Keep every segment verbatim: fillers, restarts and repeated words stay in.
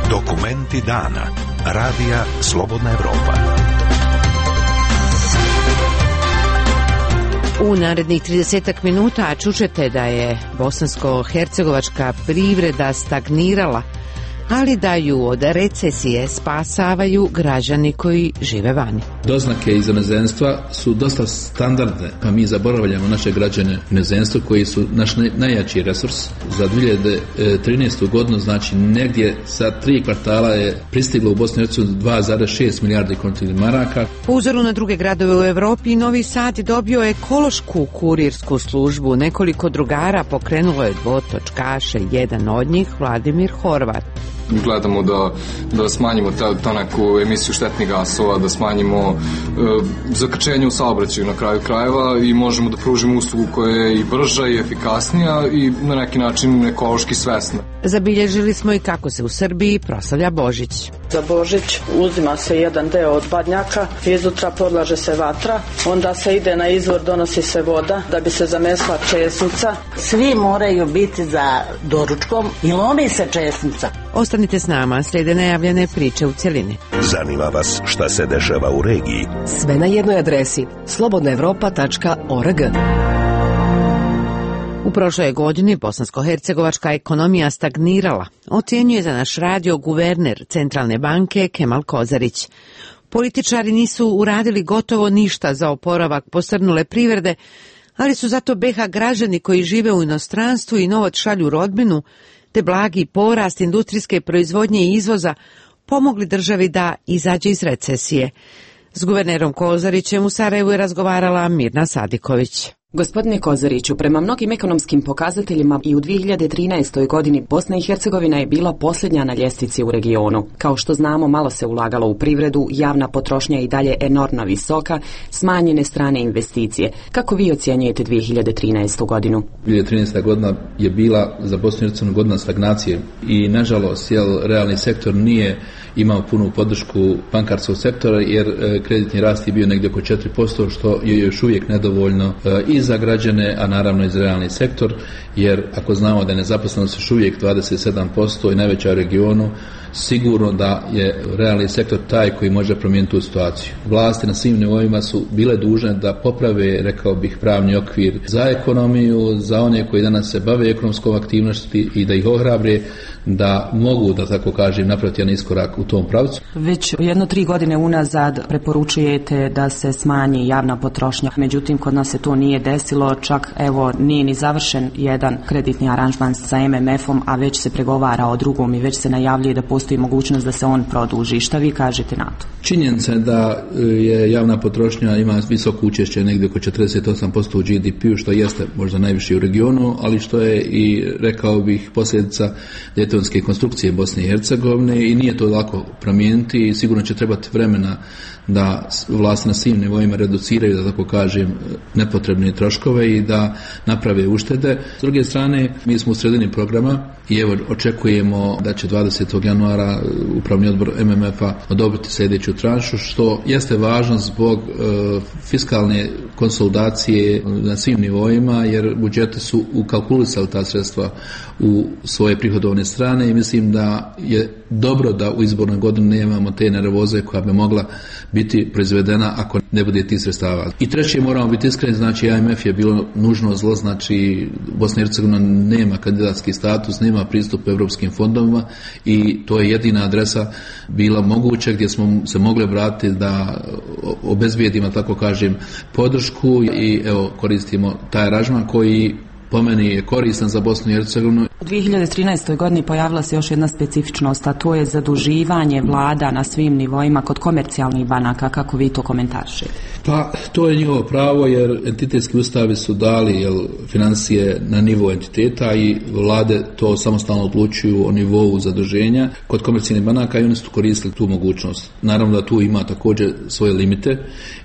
Dokumenti dana. Radija Slobodna Evropa. U narednih tridesetak minuta čućete da je bosansko-hercegovačka privreda stagnirala, ali da ju od recesije spasavaju građani koji žive vani. Doznake iz inozemstva su dosta standardne, pa mi zaboravljamo naše građane u inozemstvu koji su naš najjači resurs. Za dvije hiljade trinaestu godinu, znači negdje sa tri kvartala je pristiglo u Bosnu i Hercegovinu dva zarez šest milijardi kontinentnih maraka. Po uzoru na druge gradove u Evropi, Novi Sad je dobio ekološku kurirsku službu. Nekoliko drugara pokrenulo je dvotočkaše, jedan od njih Vladimir Horvat. Gledamo da, da smanjimo tu neku emisiju štetnih gasova, da smanjimo e, zakrčenje u saobraćaju na kraju krajeva i možemo da pružimo uslugu koja je i brža i efikasnija i na neki način ekološki svesna. Zabilježili smo i kako se u Srbiji proslavlja Božić. Za Božić uzima se jedan deo od badnjaka, izutra podlaže se vatra, onda se ide na izvor, donosi se voda da bi se zamesla česnica. Svi moraju biti za doručkom i lomi se česnica. Ostanite s nama, slijede najavljene priče u cjelini. Zanima vas šta se dešava u regiji? Sve na jednoj adresi slobodna evropa tačka org. U prošloj godini bosansko-hercegovačka ekonomija stagnirala, ocjenjuje za naš radio guverner Centralne banke Kemal Kozarić. Političari nisu uradili gotovo ništa za oporavak posrnule privrede, ali su zato B iH građani koji žive u inostranstvu i novac šalju rodbinu, te blagi porast industrijske proizvodnje i izvoza pomogli državi da izađe iz recesije. S guvernerom Kozarićem u Sarajevu je razgovarala Mirna Sadiković. Gospodine Kozariću, prema mnogim ekonomskim pokazateljima i u dvije hiljade trinaestoj godini Bosna i Hercegovina je bila posljednja na ljestvici u regionu. Kao što znamo, malo se ulagalo u privredu, javna potrošnja je i dalje enormno visoka, smanjene strane investicije. Kako vi ocjenjujete dvije hiljade trinaestu godinu? dvije hiljade trinaesta godina je bila za Bosnu i Hercegovinu godina stagnacije i nažalost jel, realni sektor nije imao punu podršku bankarskog sektora jer e, kreditni rast je bio negdje oko četiri posto što je još uvijek nedovoljno e, i za građane, a naravno i za realni sektor, jer ako znamo da je nezaposlenost još uvijek dvadeset sedam posto i najveća u regionu, sigurno da je realni sektor taj koji može promijeniti tu situaciju. Vlasti na svim nivoima su bile dužne da poprave, rekao bih, pravni okvir za ekonomiju, za one koji danas se bave ekonomskom aktivnosti i da ih ohrabre da mogu, da tako kažem, napraviti jedan iskorak u tom pravcu. Već jedno tri godine unazad preporučujete da se smanji javna potrošnja, međutim kod nas se to nije desilo, čak evo nije ni završen jedan kreditni aranžman sa em em efom, a već se pregovara o drugom i već se najavljuje da postoji mogućnost da se on produži. Šta vi kažete na to? Činjenica je da je javna potrošnja ima visoko učešće negdje oko četrdeset osam posto u G D P-u, što jeste možda najviše u regionu, ali što je i, rekao bih, posljedica djetonske konstrukcije Bosne i Hercegovine i nije to lako promijeniti i sigurno će trebati vremena da vlasti na svim nivoima reduciraju, da tako kažem, nepotrebne troškove i da naprave uštede. S druge strane, mi smo u sredini programa i evo očekujemo da će dvadesetog januara upravni odbor em em efa odobriti sljedeću tranšu, što jeste važno zbog e, fiskalne konsolidacije na svim nivoima, jer budžeti su ukalkulisali ta sredstva u svoje prihodovne strane i mislim da je dobro da u izbornoj godini nemamo te nervoze koja bi mogla biti proizvedena ako ne bude tih sredstava. I treće, moramo biti iskreni, znači A M F je bilo nužno zlo, znači Bosna i Hercegovina nema kandidatski status, nema pristup europskim fondovima i to je jedina adresa bila moguća gdje smo se mogli vratiti da obezbijedimo, tako kažem, podršku i evo koristimo taj aranžman koji po meni je koristan za Bosnu i Hercegovinu. U dvije hiljade trinaestoj godini pojavila se još jedna specifičnost, a to je zaduživanje vlada na svim nivoima kod komercijalnih banaka. Kako vi to komentarišete? Pa to je njihovo pravo, jer entitetski ustavi su dali jel, financije na nivo entiteta i vlade to samostalno odlučuju o nivou zaduženja kod komercijalnih banaka i oni su koristili tu mogućnost. Naravno da tu ima također svoje limite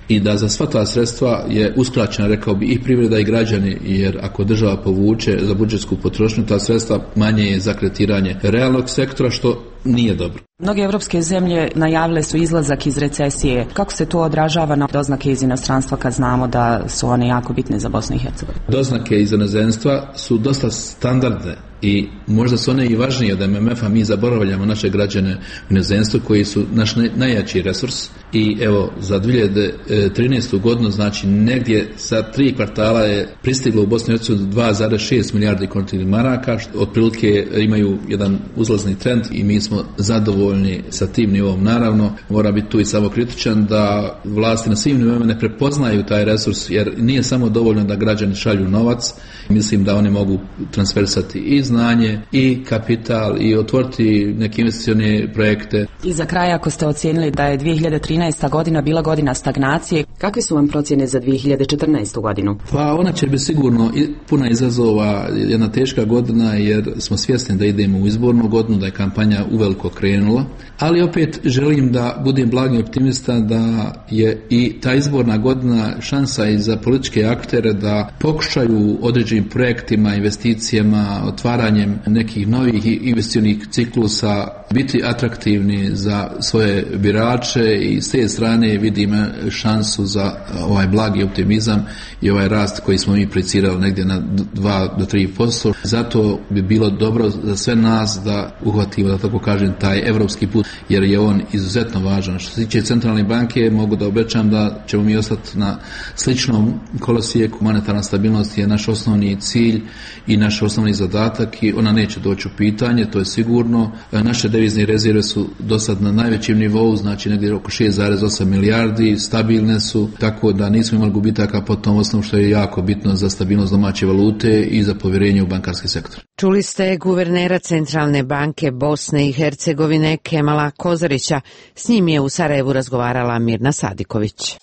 i da za sva ta sredstva je uskraćena, rekao bi, i privreda i građani, jer ako država povuče za budžetsku potrošnju, ta sredstva manje je za kretiranje realnog sektora, što nije dobro. Mnoge evropske zemlje najavile su izlazak iz recesije. Kako se to odražava na doznake iz inostranstva kad znamo da su one jako bitne za Bosnu i Hercegovinu? Doznake iz inozemstva su dosta standardne, i možda su one i važnije od M M F-a, mi zaboravljamo naše građane u inozemstvu koji su naš najjači resurs i evo za dvije hiljade trinaestu godinu znači negdje za tri kvartala je pristiglo u Bosni i Hercegovini dva zarez šest milijardi konvertibilnih maraka, što otprilike imaju jedan uzlazni trend i mi smo zadovoljni sa tim nivom. Naravno, mora biti tu i samo kritičan da vlasti na svim nivoima ne prepoznaju taj resurs, jer nije samo dovoljno da građani šalju novac. Mislim da oni mogu transferisati i znanje i kapital i otvoriti neke investicione projekte. I za kraj, ako ste ocijenili da je dvije hiljade trinaesta godina bila godina stagnacije, kakve su vam procjene za dvije hiljade četrnaestu godinu? Pa ona će biti sigurno puna izazova, jedna teška godina jer smo svjesni da idemo u izbornu godinu, da je kampanja uveliko krenula, ali opet želim da budem blagi optimista da je i ta izborna godina šansa i za političke aktere da pokušaju određenim projektima, investicijama, otvaranjem nekih novih investicionih ciklusa biti atraktivni za svoje birače i s te strane vidim šansu za ovaj blagi optimizam i ovaj rast koji smo mi projicirali negdje na dva do tri posto. Zato bi bilo dobro za sve nas da uhvatimo, da tako kažem, taj evropski put, jer je on izuzetno važan. Što se tiče centralne banke, mogu da obećam da ćemo mi ostati na sličnom kolosijeku. Monetarna stabilnost je naš osnovni cilj i naš osnovni zadatak i ona neće doći u pitanje, to je sigurno. Naše devizne rezerve su do sad na najvećem nivou, znači negdje oko šest zarez osam milijardi, stabilne su, tako da nismo imali gubitaka po tom osnovu, što je jako bitno za stabilnost domaće valute i za povjerenje u bankarski sektor. Čuli ste guvernera Centralne banke Bosne i Hercegovine Kemala Kozarića. S njim je u Sarajevu razgovarala Mirna Sadiković.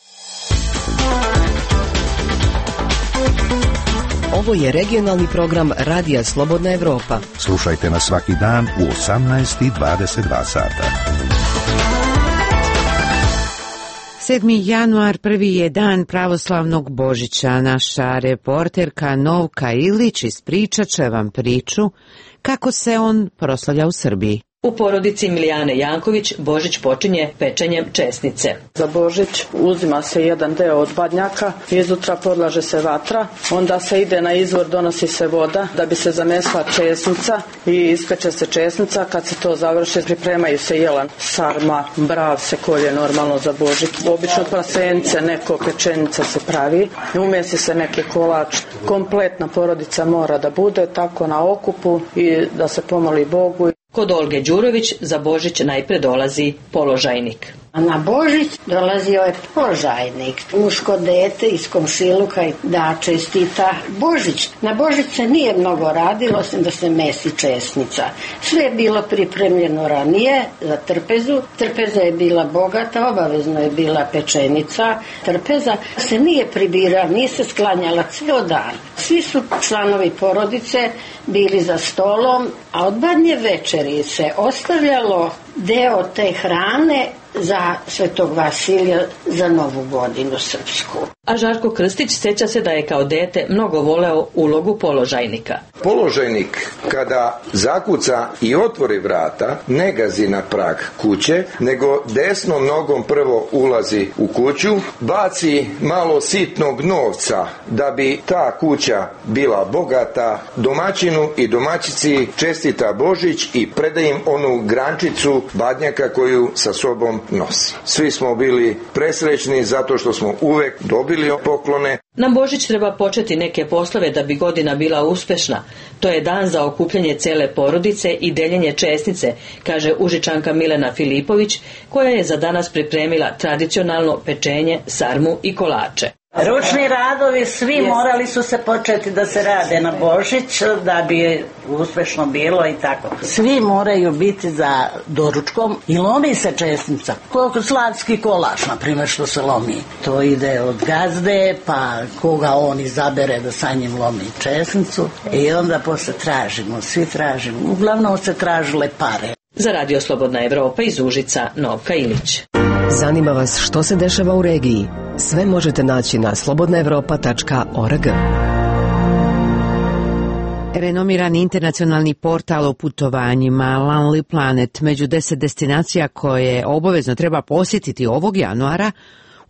Ovo je regionalni program Radija Slobodna Evropa. Slušajte nas svaki dan u osamnaest i dvadeset dva sata. sedmi januar prvi je dan pravoslavnog Božića. Naša reporterka Novka Ilić ispričat će vam priču kako se on proslavlja u Srbiji. U porodici Milijane Janković Božić počinje pečenjem česnice. Za Božić uzima se jedan deo od badnjaka, izutra podlaže se vatra, onda se ide na izvor, donosi se voda da bi se zamesla česnica i ispeče se česnica. Kad se to završi, pripremaju se jelan, sarma, brav se kolje normalno za Božić. Obično prasence, neko pečenica se pravi, umesi se neki kolač. Kompletna porodica mora da bude tako na okupu i da se pomoli Bogu. Kod Olge Đurović za Božić najpre dolazi položajnik. A na Božić dolazio je položajnik, muško dete iz komšiluka da čestita Božić. Na Božić se nije mnogo radilo, osim da se mesi česnica. Sve je bilo pripremljeno ranije za trpezu. Trpeza je bila bogata, obavezno je bila pečenica. Trpeza se nije pribirala, nije se sklanjala ceo dan. Svi su članovi porodice bili za stolom, a od badnje večeri se ostavljalo deo te hrane za Svetog Vasilija za Novu godinu srpsku. A Žarko Krstić sjeća se da je kao dete mnogo voleo ulogu položajnika. Položajnik kada zakuca i otvori vrata ne gazi na prag kuće, nego desnom nogom prvo ulazi u kuću, baci malo sitnog novca da bi ta kuća bila bogata, domaćinu i domaćici čestita Božić i preda im onu grančicu badnjaka koju sa sobom nosi. Svi smo bili presrećni zato što smo uvek dobili poklone. Na Božić treba početi neke poslove da bi godina bila uspešna. To je dan za okupljanje cele porodice i deljenje česnice, kaže Užičanka Milena Filipović, koja je za danas pripremila tradicionalno pečenje, sarmu i kolače. Ručni radovi svi morali su se početi da se rade na Božić da bi uspešno bilo i tako. Svi moraju biti za doručkom i lomi se česnica. Koliko slavski kolač, na primjer, što se lomi. To ide od gazde, pa koga on izabere da sa njim lomi česnicu i onda posle tražimo, svi tražimo. Uglavnom se tražile pare. Za Radio Slobodna Evropa iz Užica, Novka Ilić. Zanima vas što se dešava u regiji? Sve možete naći na slobodna evropa tačka org. Renomirani internacionalni portal o putovanjima Lonely Planet među deset destinacija koje obavezno treba posjetiti ovog januara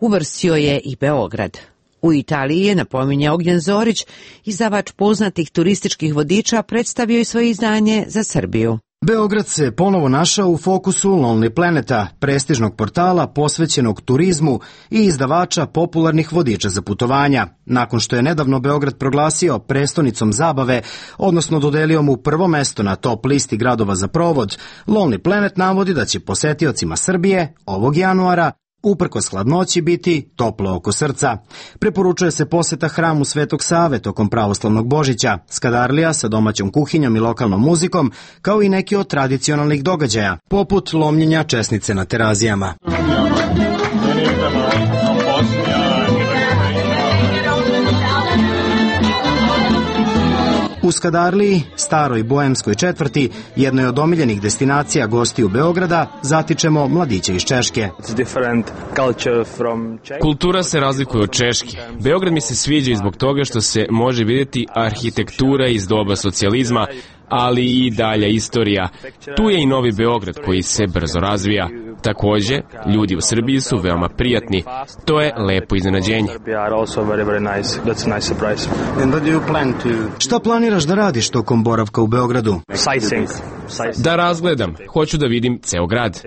uvrstio je i Beograd. U Italiji je, napominje Ognjen Zorić, izdavač poznatih turističkih vodiča, predstavio i svoje izdanje za Srbiju. Beograd se ponovo našao u fokusu Lonely Planeta, prestižnog portala posvećenog turizmu i izdavača popularnih vodiča za putovanja. Nakon što je nedavno Beograd proglasio prestonicom zabave, odnosno dodelio mu prvo mesto na top listi gradova za provod, Lonely Planet navodi da će posetiocima Srbije ovog januara uprkos hladnoći biti toplo oko srca. Preporučuje se poseta hramu Svetog Save tokom pravoslavnog Božića, skadarlija sa domaćom kuhinjom i lokalnom muzikom, kao i neki od tradicionalnih događaja, poput lomljenja česnice na terazijama. U Skadarliji, staroj boemskoj četvrti, jednoj od omiljenih destinacija gostiju Beograda, zatičemo mladiće iz Češke. Kultura se razlikuje od Češke. Beograd mi se sviđa i zbog toga što se može vidjeti arhitektura iz doba socijalizma, ali i dalja istorija. Tu je i Novi Beograd koji se brzo razvija. Takođe, ljudi u Srbiji su veoma prijatni. To je lepo iznenađenje. Šta planiraš da radiš tokom boravka u Beogradu? Da razgledam. Hoću da vidim ceo grad.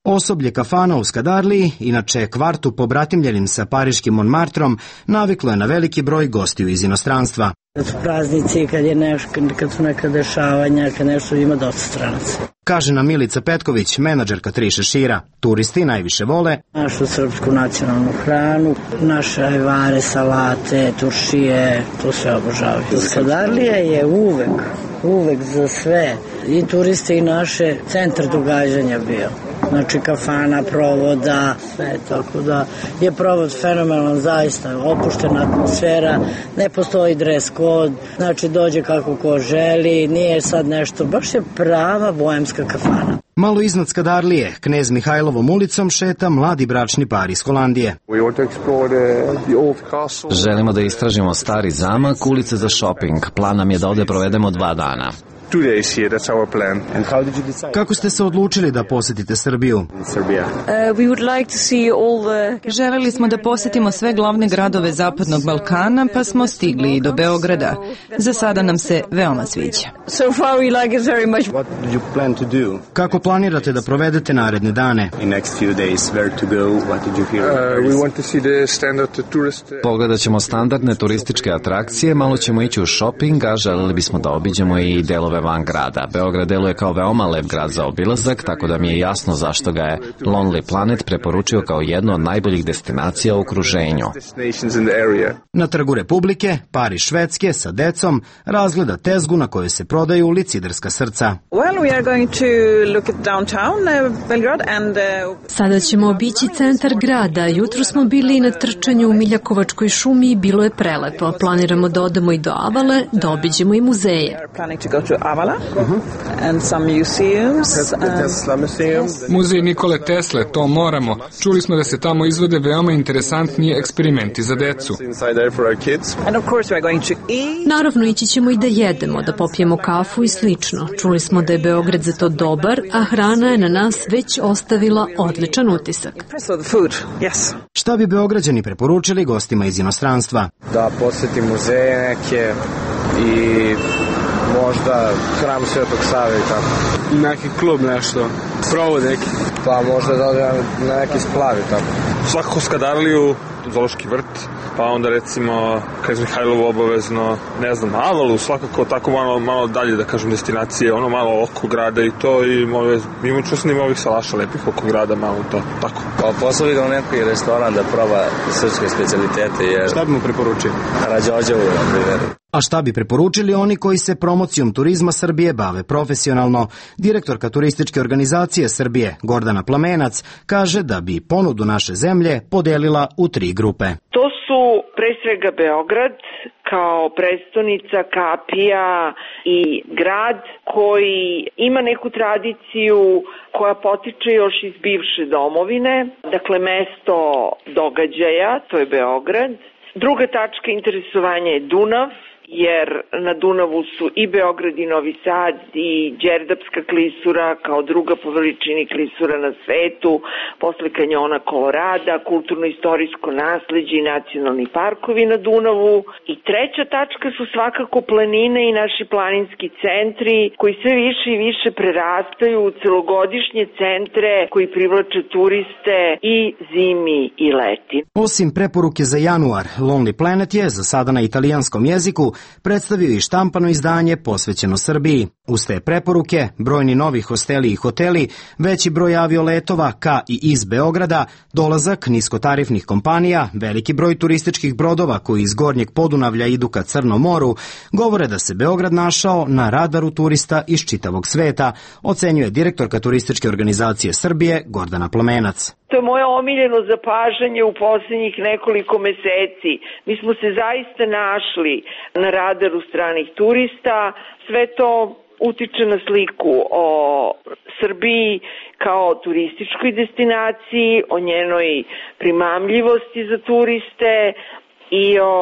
Osoblje kafana u Skadarliji, inače kvartu pobratimljenim sa pariškim Montmartrom, naviklo je na veliki broj gostiju iz inostranstva. Kad su praznici, kad, je neš, kad su neka dešavanja, kad nešto ima dosta stranaca. Kaže nam Milica Petković, menadžerka Tri šešira. Turisti najviše vole našu srpsku nacionalnu hranu, naše ajvare, salate, turšije, to sve obožavaju. Skadarlija je uvek, uvek za sve, i turiste i naše, centar događanja bio. Znači kafana, provoda, sve, tako da je provod fenomenalan, zaista opuštena atmosfera, ne postoji dres kod, znači dođe kako ko želi, nije sad nešto, baš je prava boemska kafana. Malo iznad Skadarlije, Knez Mihajlovom ulicom šeta mladi bračni par iz Holandije. Želimo da istražimo stari zamak, ulice za shopping. Plan nam je da ovde provedemo dva dana. Kako ste se odlučili da posetite Srbiju? Želeli smo da posetimo sve glavne gradove Zapadnog Balkana, pa smo stigli i do Beograda. Za sada nam se veoma sviđa. Kako planirate da provedete naredne dane? Pogledat ćemo standardne turističke atrakcije, malo ćemo ići u shopping, a želeli bismo da obiđemo i delove van grada. Beograd deluje kao veoma lep grad za obilazak, tako da mi je jasno zašto ga je Lonely Planet preporučio kao jednu od najboljih destinacija u okruženju. Na Trgu Republike, par iz Švedske sa decom razgleda tezgu na kojoj se prodaju liciderska srca. Sada ćemo obići centar grada. Jutro smo bili na trčanju u Miljakovačkoj šumi i bilo je prelepo. Planiramo da odemo i do Avale, da obiđemo i muzeje. Muzej Nikole Tesle, to moramo. Čuli smo da se tamo izvode veoma interesantni eksperimenti za decu. Naravno, ići ćemo i da jedemo, da popijemo kafu i slično. Čuli smo da je Beograd za to dobar, a hrana je na nas već ostavila odličan utisak. Šta bi Beograđani preporučili gostima iz inostranstva? Da poseti muzeje neke i možda hram Svetog Save i tako. Neki klub nešto, provod neki. Pa možda da odem na neki splav i tako. Svakako Skadarliju, Zoološki vrt, pa onda recimo Knez Mihajlovu obavezno, ne znam, Avalu, svakako tako malo, malo dalje, da kažem, destinacije, ono malo oko grada i to, i imamo čusnim ovih salaša lepih oko grada, malo to, tako. Pa posle idem u neki restoran da proba srpske specialitete, jer... Šta bi mu preporučili? Rađođevu, na primjer. A šta bi preporučili oni koji se promocijom turizma Srbije bave profesionalno? Direktorka turističke organizacije Srbije, Gordana Plamenac, kaže da bi ponudu naše zemlje podelila u tri grupe. To su pre svega Beograd kao prestonica, kapija i grad koji ima neku tradiciju koja potiče još iz bivše domovine, dakle mesto događaja, to je Beograd. Druga tačka interesovanja je Dunav, jer na Dunavu su i Beograd i Novi Sad i Đerdapska klisura kao druga po veličini klisura na svetu, posle kanjona Kolorada, kulturno-istorijsko nasleđe i nacionalni parkovi na Dunavu. I treća tačka su svakako planine i naši planinski centri koji sve više i više prerastaju u celogodišnje centre koji privlače turiste i zimi i leti. Osim preporuke za januar, Lonely Planet je za sada na italijanskom jeziku predstavio i štampano izdanje posvećeno Srbiji. Uz te preporuke, brojni novi hosteli i hoteli, veći broj avioletova ka i iz Beograda, dolazak niskotarifnih kompanija, veliki broj turističkih brodova koji iz Gornjeg Podunavlja idu ka Crnom moru, govore da se Beograd našao na radaru turista iz čitavog sveta, ocenjuje direktorka turističke organizacije Srbije Gordana Plamenac. To je moje omiljeno zapažanje u poslednjih nekoliko meseci. Mi smo se zaista našli na radaru stranih turista. Sve to utiče na sliku o Srbiji kao turističkoj destinaciji, o njenoj primamljivosti za turiste i o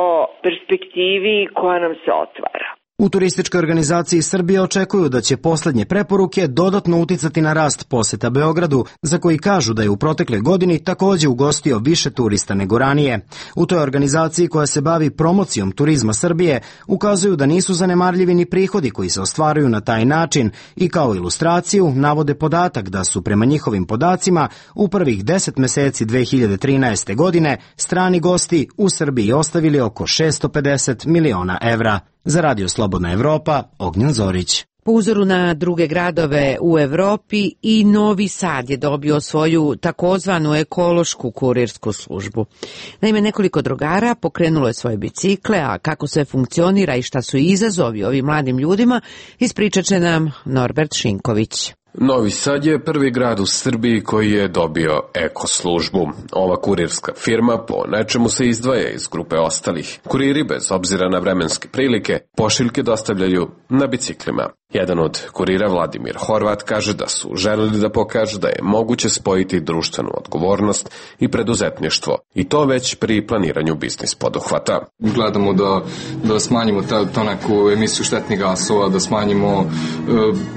perspektivi koja nam se otvara. U turističkoj organizaciji Srbije očekuju da će poslednje preporuke dodatno uticati na rast poseta Beogradu, za koji kažu da je u protekle godini takođe ugostio više turista nego ranije. U toj organizaciji koja se bavi promocijom turizma Srbije ukazuju da nisu zanemarljivi ni prihodi koji se ostvaruju na taj način i kao ilustraciju navode podatak da su prema njihovim podacima u prvih deset meseci dve hiljade trinaeste. godine strani gosti u Srbiji ostavili oko šesto pedeset miliona evra. Za Radio Slobodna Evropa, Ognjen Zorić. Po uzoru na druge gradove u Evropi i Novi Sad je dobio svoju takozvanu ekološku kurirsku službu. Naime, nekoliko drugara pokrenulo je svoje bicikle, a kako sve funkcionira i šta su izazovi ovim mladim ljudima, ispričat će nam Norbert Šinković. Novi Sad je prvi grad u Srbiji koji je dobio eko službu. Ova kurirska firma po nečemu se izdvaja iz grupe ostalih. Kuriri, bez obzira na vremenske prilike, pošiljke dostavljaju na biciklima. Jedan od kurira, Vladimir Horvat, kaže da su želeli da pokažu da je moguće spojiti društvenu odgovornost i preduzetništvo, i to već pri planiranju biznis poduhvata. Gledamo da, da smanjimo ta, to neku emisiju štetnih gasova, da smanjimo e,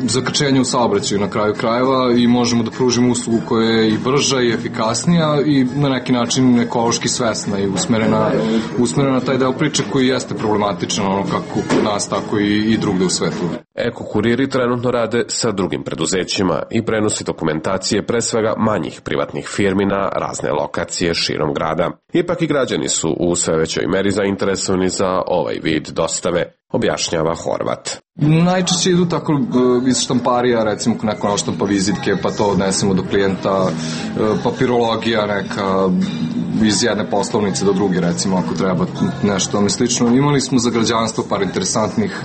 zakrčenje u saobraćaju na kraju krajeva i možemo da pružimo uslugu koja je i brža i efikasnija i na neki način ekološki svesna i usmerena, usmerena na taj deo priče koji jeste problematičan, ono kako kod nas, tako i, i drugde u svetu. Eko kuriri trenutno rade sa drugim preduzećima i prenosi dokumentacije pre svega manjih privatnih firmi na razne lokacije širom grada. Ipak i građani su u sve većoj meri zainteresovani za ovaj vid dostave, objašnjava Horvat. Najčešće idu tako iz štamparija, recimo neko naštampa vizitke, pa to odnesemo do klijenta, papirologija neka iz jedne poslovnice do druge, recimo, ako treba nešto tome slično. Imali smo za građanstvo par interesantnih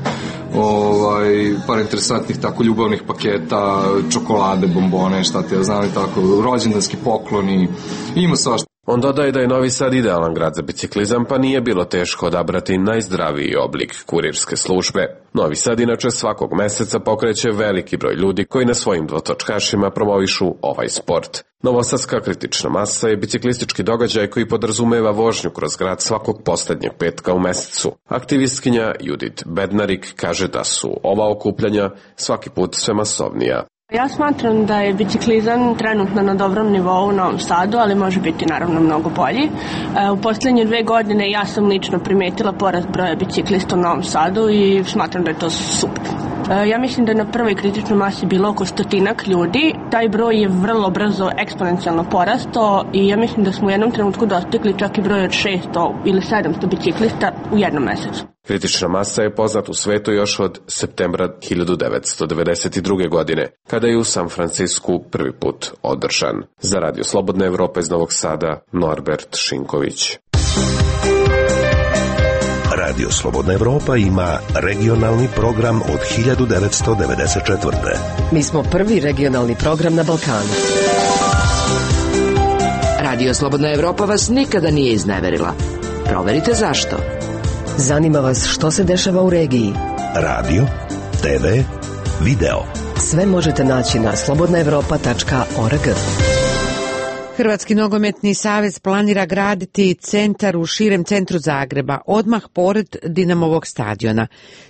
ovaj, par interesantnih tako ljubavnih paketa, čokolade, bombone, šta te ja znam i tako, rođendanski pokloni, ima svašta. On dodaje da je Novi Sad idealan grad za biciklizam, pa nije bilo teško odabrati najzdraviji oblik kurirske službe. Novi Sad inače svakog meseca pokreće veliki broj ljudi koji na svojim dvotočkašima promovišu ovaj sport. Novosadska kritična masa je biciklistički događaj koji podrazumeva vožnju kroz grad svakog poslednjeg petka u mesecu. Aktivistkinja Judit Bednarik kaže da su ova okupljanja svaki put sve masovnija. Ja smatram da je biciklizam trenutno na dobrom nivou u Novom Sadu, ali može biti naravno mnogo bolji. U poslednje dve godine ja sam lično primetila porast broja biciklista u Novom Sadu i smatram da je to super. Ja mislim da je na prvoj kritičnoj masi bilo oko stotinak ljudi. Taj broj je vrlo brzo eksponencijalno porastao i ja mislim da smo u jednom trenutku dostigli čak i broj od šesto ili sedamsto biciklista u jednom mesecu. Kritična masa je poznat u svetu još od septembra hiljadu devetsto devedeset druge. godine, kada je u San Francisku prvi put održan. Za Radio Slobodna Evropa iz Novog Sada, Norbert Šinković. Radio Slobodna Evropa ima regionalni program od hiljadu devetsto devedeset četvrte. Mi smo prvi regionalni program na Balkanu. Radio Slobodna Evropa vas nikada nije izneverila. Proverite zašto. Zanima vas što se dešava u regiji. Radio, te ve, video. Sve možete naći na slobodna evropa tačka org. Hrvatski nogometni savez planira graditi centar u širem centru Zagreba, odmah pored Dinamovog stadiona.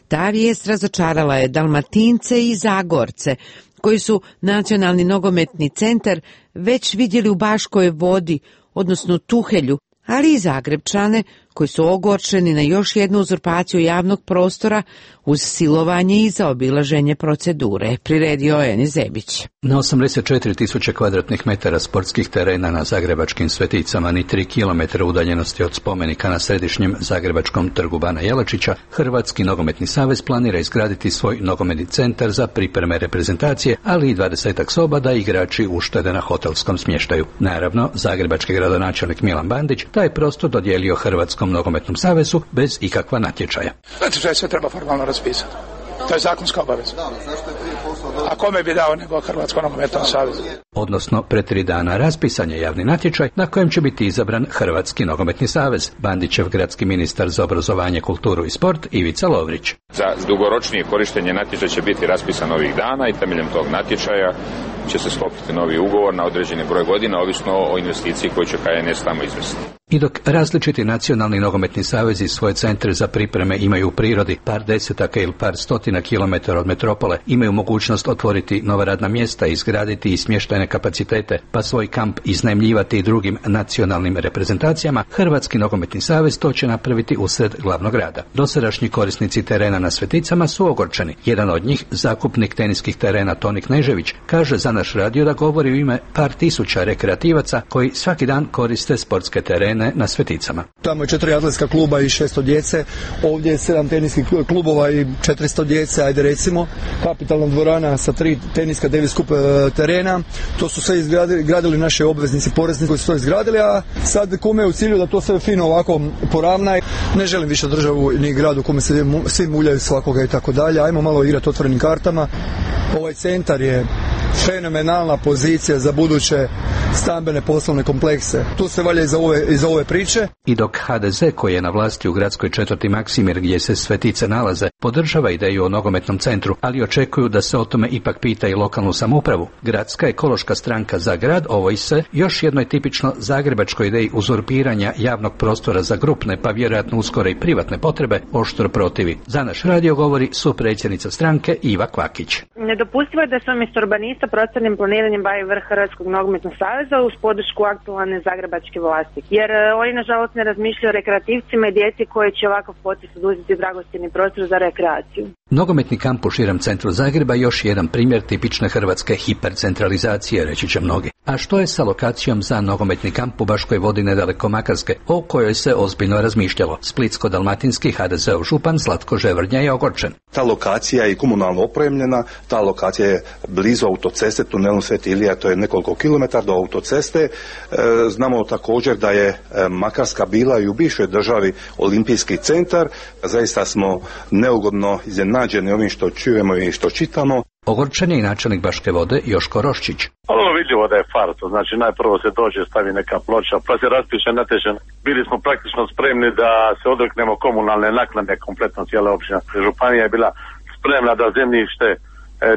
Ta vijest razočarala je Dalmatince i Zagorce, koji su nacionalni nogometni centar već vidjeli u Baškoj Vodi, odnosno Tuhelju, ali i Zagrebčane koji su ogorčeni na još jednu uzurpaciju javnog prostora uz silovanje i zaobilaženje procedure, priredio Enis Zebić. Na osamdeset četiri tisuće kvadratnih metara sportskih terena na zagrebačkim Sveticama, ni tri kilometra udaljenosti od spomenika na središnjem zagrebačkom trgu Bana Jelačića, Hrvatski nogometni savez planira izgraditi svoj nogometni centar za pripreme reprezentacije, ali i dvadesetak soba da igrači uštede na hotelskom smještaju. Naravno, zagrebački gradonačelnik Milan Bandić taj prostor dodijelio Hrvatskom nogometnom savezu bez ikakva natječaja. Natječaj sve treba formalno raspisati. To je zakonska obaveza. A kome bi dao nego Hrvatskom nogometnom savezu? Odnosno, pre tri dana raspisan je javni natječaj na kojem će biti izabran Hrvatski nogometni savez. Bandićev gradski ministar za obrazovanje, kulturu i sport Ivica Lovrić. Za dugoročnije korištenje natječaja će biti raspisan ovih dana i temeljem tog natječaja će se sklopiti novi ugovor na određeni broj godina, ovisno o investiciji koju će K N S tamo izvesti. I dok različiti nacionalni nogometni savezi svoje centre za pripreme imaju u prirodi, par desetaka ili par stotina kilometara od metropole imaju mogućnost otvoriti nova radna mjesta, izgraditi i smještajne kapacitete, pa svoj kamp iznajmljivati i drugim nacionalnim reprezentacijama, Hrvatski nogometni savez to će napraviti usred glavnog grada. Dosadašnji korisnici terena na Sveticama su ogorčeni. Jedan od njih, zakupnik teniskih terena Toni Knežević, kaže za naš radio da govori u ime par tisuća rekreativaca koji svaki dan koriste sportske terene na Sveticama. Tamo je četiri atletska kluba i šesto djece, ovdje je sedam teniskih klubova i četiristo djece, ajde recimo, kapitalna dvorana sa tri teniska devet skup terena. To su sve izgradili, gradili naši obveznici, porezni koji su to izgradili, a sad kome je u cilju da to sve fino ovako poravna. Ne želim više državu ni gradu kome se svi muljaju svakoga i tako dalje. Ajmo malo igrati otvorenim kartama. Ovaj centar je fenomenalna pozicija za buduće stambene poslovne komplekse. Tu se valja iza ove, iza ove priče. I dok H D Z koji je na vlasti u gradskoj četvrti Maksimir gdje se Svetice nalaze, podržava ideju o nogometnom centru, ali očekuju da se o tome ipak pita i lokalnu samoupravu. Gradska ekološka stranka za grad ovoj se još jednoj tipično zagrebačkoj ideji uzurpiranja javnog prostora za grupne, pa vjerojatno uskoro i privatne potrebe, oštro protivi. Za naš radio govori supredsjednica stranke Iva Kvakić. Nedopustivo je da se umjesto urbanista prostornim planiranjem bavi vrh Hrvatskog nogometnog saveza uz podršku aktualne zagrebačke vlasti. Jer oni nažalost ne razmišljaju o rekreativcima i djeci koji će ovakav potez oduzeti dragocjeni prostor za rekreaciju. Nogometni kamp u širem centru Zagreba još jedan primjer tipične hrvatske hipercentralizacije, reći će mnogi. A što je sa lokacijom za nogometni kamp u Baškoj Vodi nedaleko Makarske, o kojoj se ozbiljno razmišljalo? Splitsko-dalmatinski H D Z-ov župan Zlatko Ževrnja je ogorčen. Ta lokacija je komunalno opremljena, ta lokacija je blizu autoceste, tunelom Sveti Ilija, to je nekoliko kilometara do autoceste. E, znamo također da je Makarska bila i u bivšoj državi olimpijski centar. Zaista smo neugodno iznenađeni ovim što čujemo i što čitamo. Ogorčen je i načelnik Baške Vode Joško Roščić. Ono vidljivo da je farsa, znači najprvo se dođe, stavi neka ploča, pa se raspiše natječaj. Bili smo praktično spremni da se odreknemo komunalne naknade, kompletno cijela općina. Županija je bila spremna da zemljište e,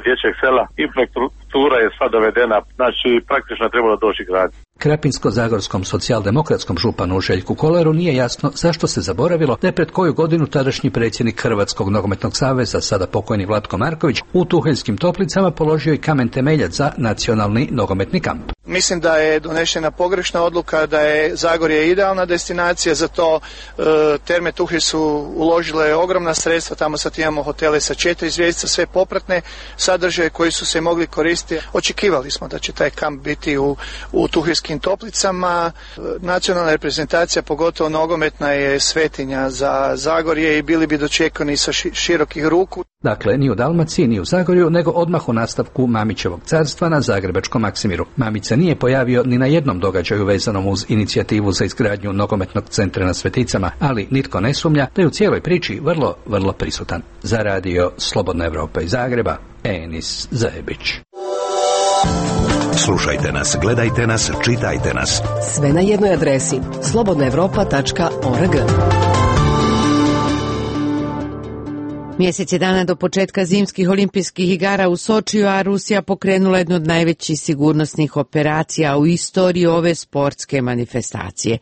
dječjeg sela, infrastruktura je sva dovedena, znači praktično je trebalo doći grad. Krapinsko-zagorskom socijaldemokratskom županu Željku Koleru nije jasno zašto se zaboravilo da je pred koju godinu tadašnji predsjednik Hrvatskog nogometnog saveza, sada pokojni Vlatko Marković, u Tuheljskim Toplicama položio i kamen temeljac za nacionalni nogometni kamp. Mislim da je donešena pogrešna odluka, da je Zagorje idealna destinacija za to. E, Terme Tuhelj su uložile ogromna sredstva, tamo sad imamo hotele sa četiri zvjezdice, sve popratne sadržaje koji su se mogli koristiti. Očekivali smo da će taj kamp biti u, u Tuheljskim Toplicama. Nacionalna reprezentacija, pogotovo nogometna, je svetinja za Zagorje i bili bi dočekani sa širokih ruku. Dakle, ni u Dalmaciji, ni u Zagorju, nego odmah u nastavku Mamićevog carstva na zagrebačkom Maksimiru. Mamić se nije pojavio ni na jednom događaju vezanom uz inicijativu za izgradnju nogometnog centra na Sveticama, ali nitko ne sumnja da je u cijeloj priči vrlo, vrlo prisutan. Za radio Slobodna Evropa iz Zagreba, Enis Zebić. Slušajte nas, gledajte nas, čitajte nas. Sve na jednoj adresi slobodna evropa tačka org. Mjesec je dana do početka zimskih olimpijskih igara u Sočiju, a Rusija pokrenula jednu od najvećih sigurnosnih operacija u istoriji ove sportske manifestacije.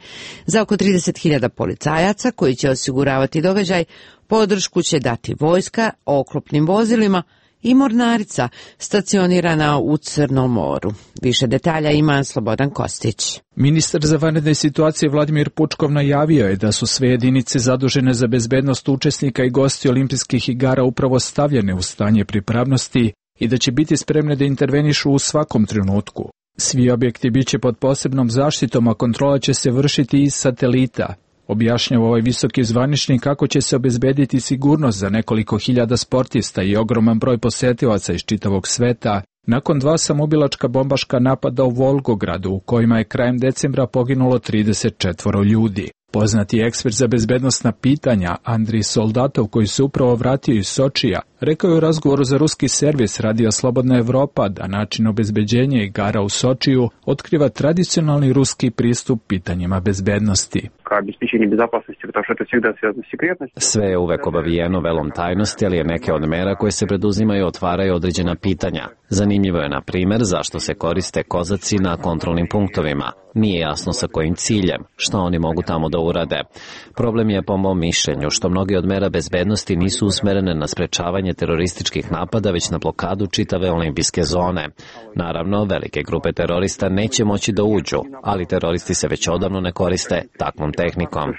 Za oko trideset hiljada policajaca koji će osiguravati događaj, podršku će dati vojska oklopnim vozilima i mornarica stacionirana u Crnom moru. Više detalja ima Slobodan Kostić. Ministar za vanredne situacije Vladimir Pučkov najavio je da su sve jedinice zadužene za bezbednost učesnika i gosti olimpijskih igara upravo stavljene u stanje pripravnosti i da će biti spremne da intervenišu u svakom trenutku. Svi objekti biće pod posebnom zaštitom, a kontrola će se vršiti iz satelita. Objašnjava ovaj visoki zvaničnik kako će se obezbediti sigurnost za nekoliko hiljada sportista i ogroman broj posetilaca iz čitavog sveta nakon dva samobilačka bombaška napada u Volgogradu u kojima je krajem decembra poginulo trideset četvoro ljudi. Poznati ekspert za bezbednosna pitanja Andrij Soldatov, koji se upravo vratio iz Sočija, rekao je u razgovoru za ruski servis Radija Slobodna Evropa da način obezbeđenja igara u Sočiju otkriva tradicionalni ruski pristup pitanjima bezbednosti. Sve je uvek obavijeno velom tajnosti, ali je neke od mera koje se preduzimaju otvaraju određena pitanja. Zanimljivo je, na primer, zašto se koriste kozaci na kontrolnim punktovima. Nije jasno sa kojim ciljem, što oni mogu tamo da urade. Problem je, po mom mišljenju, što mnogi od mera bezbednosti nisu usmerene na sprečavanje terorističkih napada, već na blokadu čitave olimpijske zone. Naravno, velike grupe terorista neće moći da uđu, ali teroristi se već odavno ne koriste takvom tehnikom.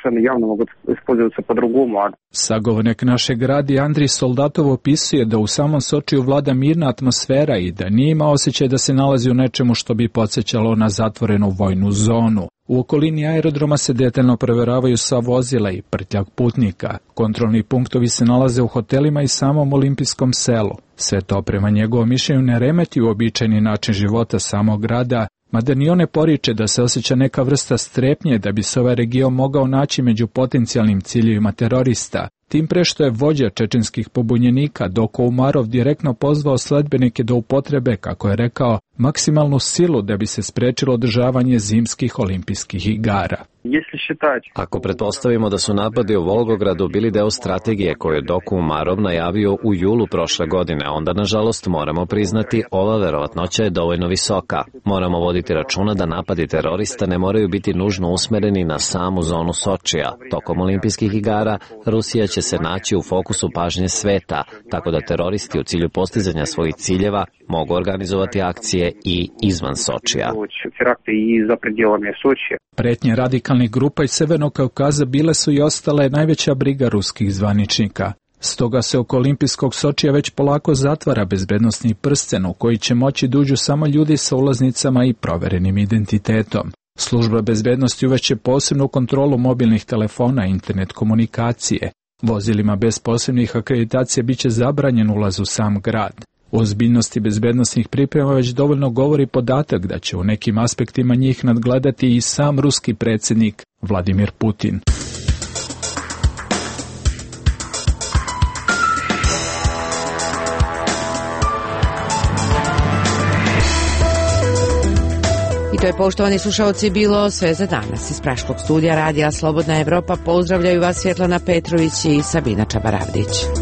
Sagovornik našeg radija Andrij Soldatov opisuje da u samom Sočiju vlada mirna atmosfera i da nije ima osjećaj da se nalazi u nečemu što bi podsjećalo na zatvorenu vojnu zonu. U okolini aerodroma se detaljno proveravaju sva vozila i prtljag putnika. Kontrolni punktovi se nalaze u hotelima i samom olimpijskom selu. Sve to prema njegovom mišljenju ne remeti uobičajeni način života samog grada, mada ni one poriče da se osjeća neka vrsta strepnje da bi se ovaj region mogao naći među potencijalnim ciljevima terorista. Tim pre što je vođa čečenskih pobunjenika Doko Umarov direktno pozvao sledbenike da upotrebe, kako je rekao, maksimalnu silu da bi se sprečilo održavanje zimskih olimpijskih igara. Ako pretpostavimo da su napadi u Volgogradu bili deo strategije koju je Doko Umarov najavio u julu prošle godine, onda nažalost moramo priznati ova verovatnoća je dovoljno visoka. Moramo voditi računa da napadi terorista ne moraju biti nužno usmereni na samu zonu Sočija. Tokom olimpijskih igara Rusija će se naći u fokusu pažnje sveta, tako da teroristi u cilju postizanja svojih ciljeva mogu organizovati akcije i izvan Sočija. Pretnje radikalnih grupa iz Severnog Kaukaza bile su i ostale najveća briga ruskih zvaničnika. Stoga se oko olimpijskog Sočija već polako zatvara bezbednosni prsten u koji će moći da uđu samo ljudi sa ulaznicama i proverenim identitetom. Služba bezbednosti uveće posebnu kontrolu mobilnih telefona i internet komunikacije. Vozilima bez posebnih akreditacija biće zabranjen ulaz u sam grad. O ozbiljnosti bezbednosnih priprema već dovoljno govori podatak da će u nekim aspektima njih nadgledati i sam ruski predsjednik Vladimir Putin. I to je, poštovani slušalci, bilo sve za danas. Iz Praškog studija Radija Slobodna Evropa pozdravljaju vas Svjetlana Petrović i Sabina Čabaravdić.